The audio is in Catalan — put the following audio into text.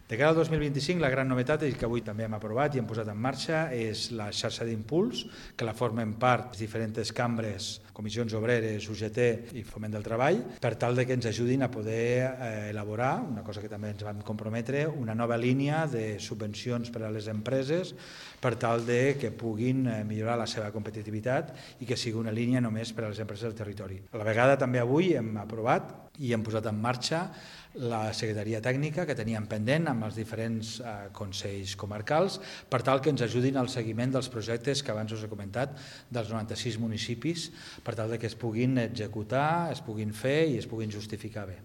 De cara al 2025, la gran novetat que avui també hem aprovat i hem posat en marxa és la xarxa d'impuls, que la formen part diferents cambres, comissions obreres, UGT i Foment del Treball, per tal de que ens ajudin a poder elaborar, una cosa que també ens vam comprometre, una nova línia de subvencions per a les empreses per tal de que puguin millorar la seva competitivitat i que sigui una línia només per a les empreses del territori. A la vegada també avui hem aprovat i hem posat en marxa la secretaria tècnica que teníem pendent amb els diferents consells comarcals per tal que ens ajudin al seguiment dels projectes que abans us he comentat dels 96 municipis per tal que es puguin executar, es puguin fer i es puguin justificar bé.